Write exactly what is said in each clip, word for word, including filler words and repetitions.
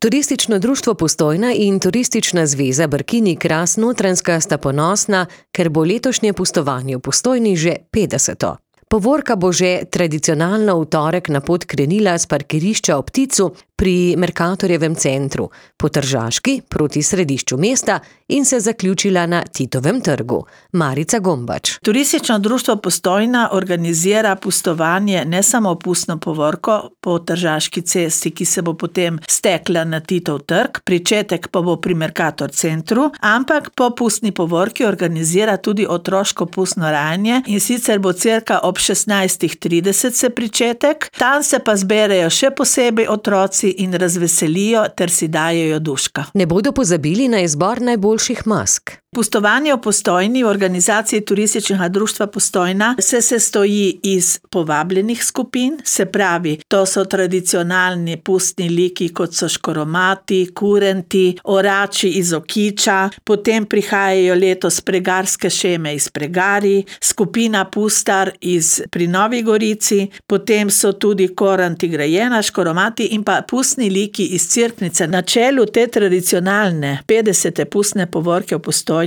Turistično društvo Postojna in Turistična zveza Brkini-Kras-Notranjska sta ponosna, ker bo letošnje pustovanje v Postojni že petdeseto. Povorka bo že tradicionalno v torek na pot krenila s parkirišča ob Pticu pri Mercatorjevem centru, po Tržaški proti središču mesta in se zaključila na Titovem trgu. Marica Gombač. Turistično društvo Postojna organizira pustovanje ne samo pustno povorko po Tržaški cesti, ki se bo potem stekla na Titov trg, pričetek pa bo pri Mercator centru, ampak po pustni povorki organizira tudi otroško pustno rajanje in sicer bo cirka ob šestnajstih trideset se pričetek, tam se pa zberejo še posebej otroci in razveselijo ter si dajejo duška. Ne bodo pozabili na izbor najboljših mask. Pustovanje v Postojni v organizaciji Turističnega društva Postojna se sestoji iz povabljenih skupin, se pravi, to so tradicionalni pustni liki, kot so škoromati, kurenti, orači iz Okiča, potem prihajajo letos pregarske šeme iz Pregari, skupina Pustar iz pri Novi Gorici, potem so tudi koranti Grajena, škoromati in pa pustni liki iz Cerknice. Na čelu te tradicionalne petdesete pustne povorke v Postojni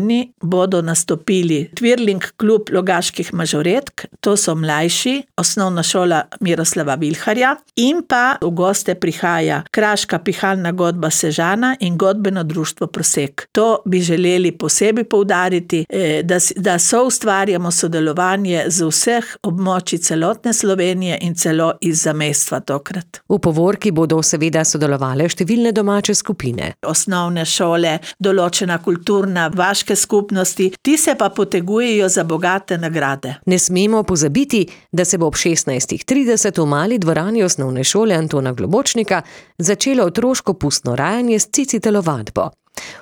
bodo nastopili Twirling klub Logaških mažoretk, to so mlajši, osnovna šola Miroslava Vilharja, in pa v goste prihaja Kraška pihalna godba Sežana in godbeno društvo Prosek. To bi želeli posebej poudariti, da, da soustvarjamo sodelovanje z vseh območij celotne Slovenije in celo iz zamejstva tokrat. V povorki bodo seveda sodelovale številne domače skupine. Osnovne šole, določena kulturna, vaške skupnosti, ti se pa potegujejo za bogate nagrade. Ne smemo pozabiti, da se bo ob šestnajstih trideset v mali dvorani osnovne šole Antona Globočnika začelo otroško pustno rajanje s cici telovadbo.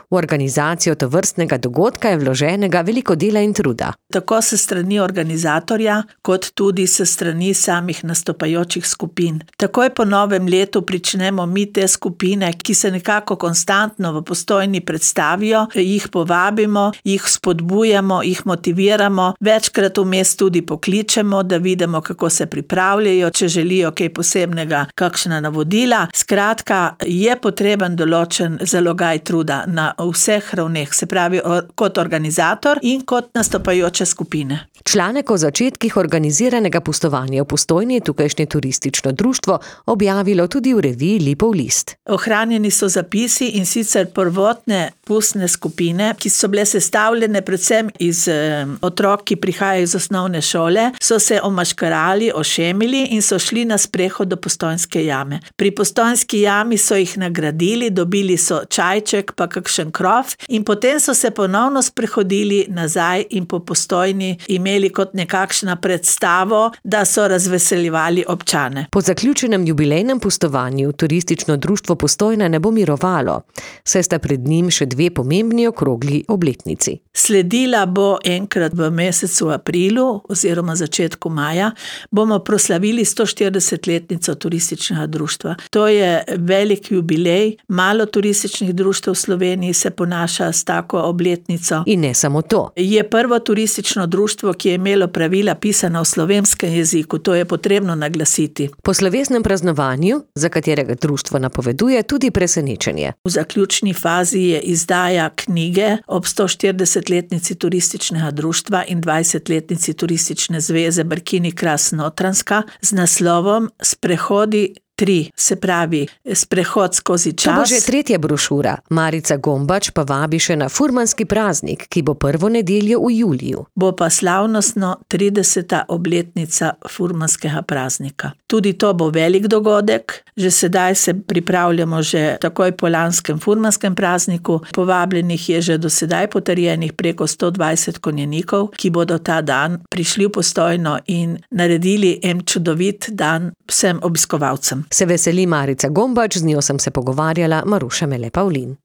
V organizacijo tovrstnega dogodka je vloženega veliko dela in truda. Tako se strani organizatorja, kot tudi se strani samih nastopajočih skupin. Takoj po novem letu pričnemo mi te skupine, ki se nekako konstantno v Postojni predstavijo, jih povabimo, jih spodbujamo, jih motiviramo, večkrat vmes tudi pokličemo, da vidimo, kako se pripravljajo, če želijo kaj posebnega, kakšna navodila. Skratka, je potreben določen zalogaj truda na vseh ravneh, se pravi kot organizator in kot nastopajoče skupine. Članek o začetkih organiziranega pustovanja v Postojni je tukajšnje turistično društvo objavilo tudi v reviji Lipov list. Ohranjeni so zapisi in sicer prvotne pustne skupine, ki so bile sestavljene predvsem iz eh, otrok, ki prihajajo iz osnovne šole, so se omaškarali, ošemili in so šli na sprehod do Postojnske jame. Pri Postojnski jami so jih nagradili, dobili so čajček, pa kakšen krov in potem so se ponovno sprehodili nazaj in po Postojni imeli kot nekakšna predstavo, da so razveseljevali občane. Po zaključenem jubilejnem pustovanju Turistično društvo Postojna ne bo mirovalo, saj sta pred njim še dve pomembni okrogli obletnici. Sledila bo enkrat v mesecu aprilu oziroma začetku maja, bomo proslavili sto štiridesetletnico Turističnega društva. To je velik jubilej, malo turističnih društev v Sloveniji se ponaša s tako obletnico. In ne samo to. Je prvo turistično društvo, ki je imelo pravila pisana v slovenskem jeziku, to je potrebno naglasiti. Po slovesnem praznovanju, za katerega društvo napoveduje tudi presenečenje. V zaključni fazi je izdaja knjige ob sto štiridesetletnici Turističnega društva in dvajsetletnici Turistične zveze Brkini-Kras-Notranjska z naslovom Sprehodi tri, se pravi sprehod skozi čas. To bo že tretja brošura. Marica Gombač pa vabi še na furmanski praznik, ki bo prvo nedeljo v juliju. Bo pa slavnostno trideseta obletnica furmanskega praznika. Tudi to bo velik dogodek. Že sedaj se pripravljamo že takoj po lanskem furmanskem prazniku. Povabljenih je že do sedaj potrjenih preko sto dvajset konjenikov, ki bodo ta dan prišli v Postojno in naredili en čudovit dan vsem obiskovalcem. Se veseli Marica Gombač, z njo sem se pogovarjala Maruša Mele Pavlin.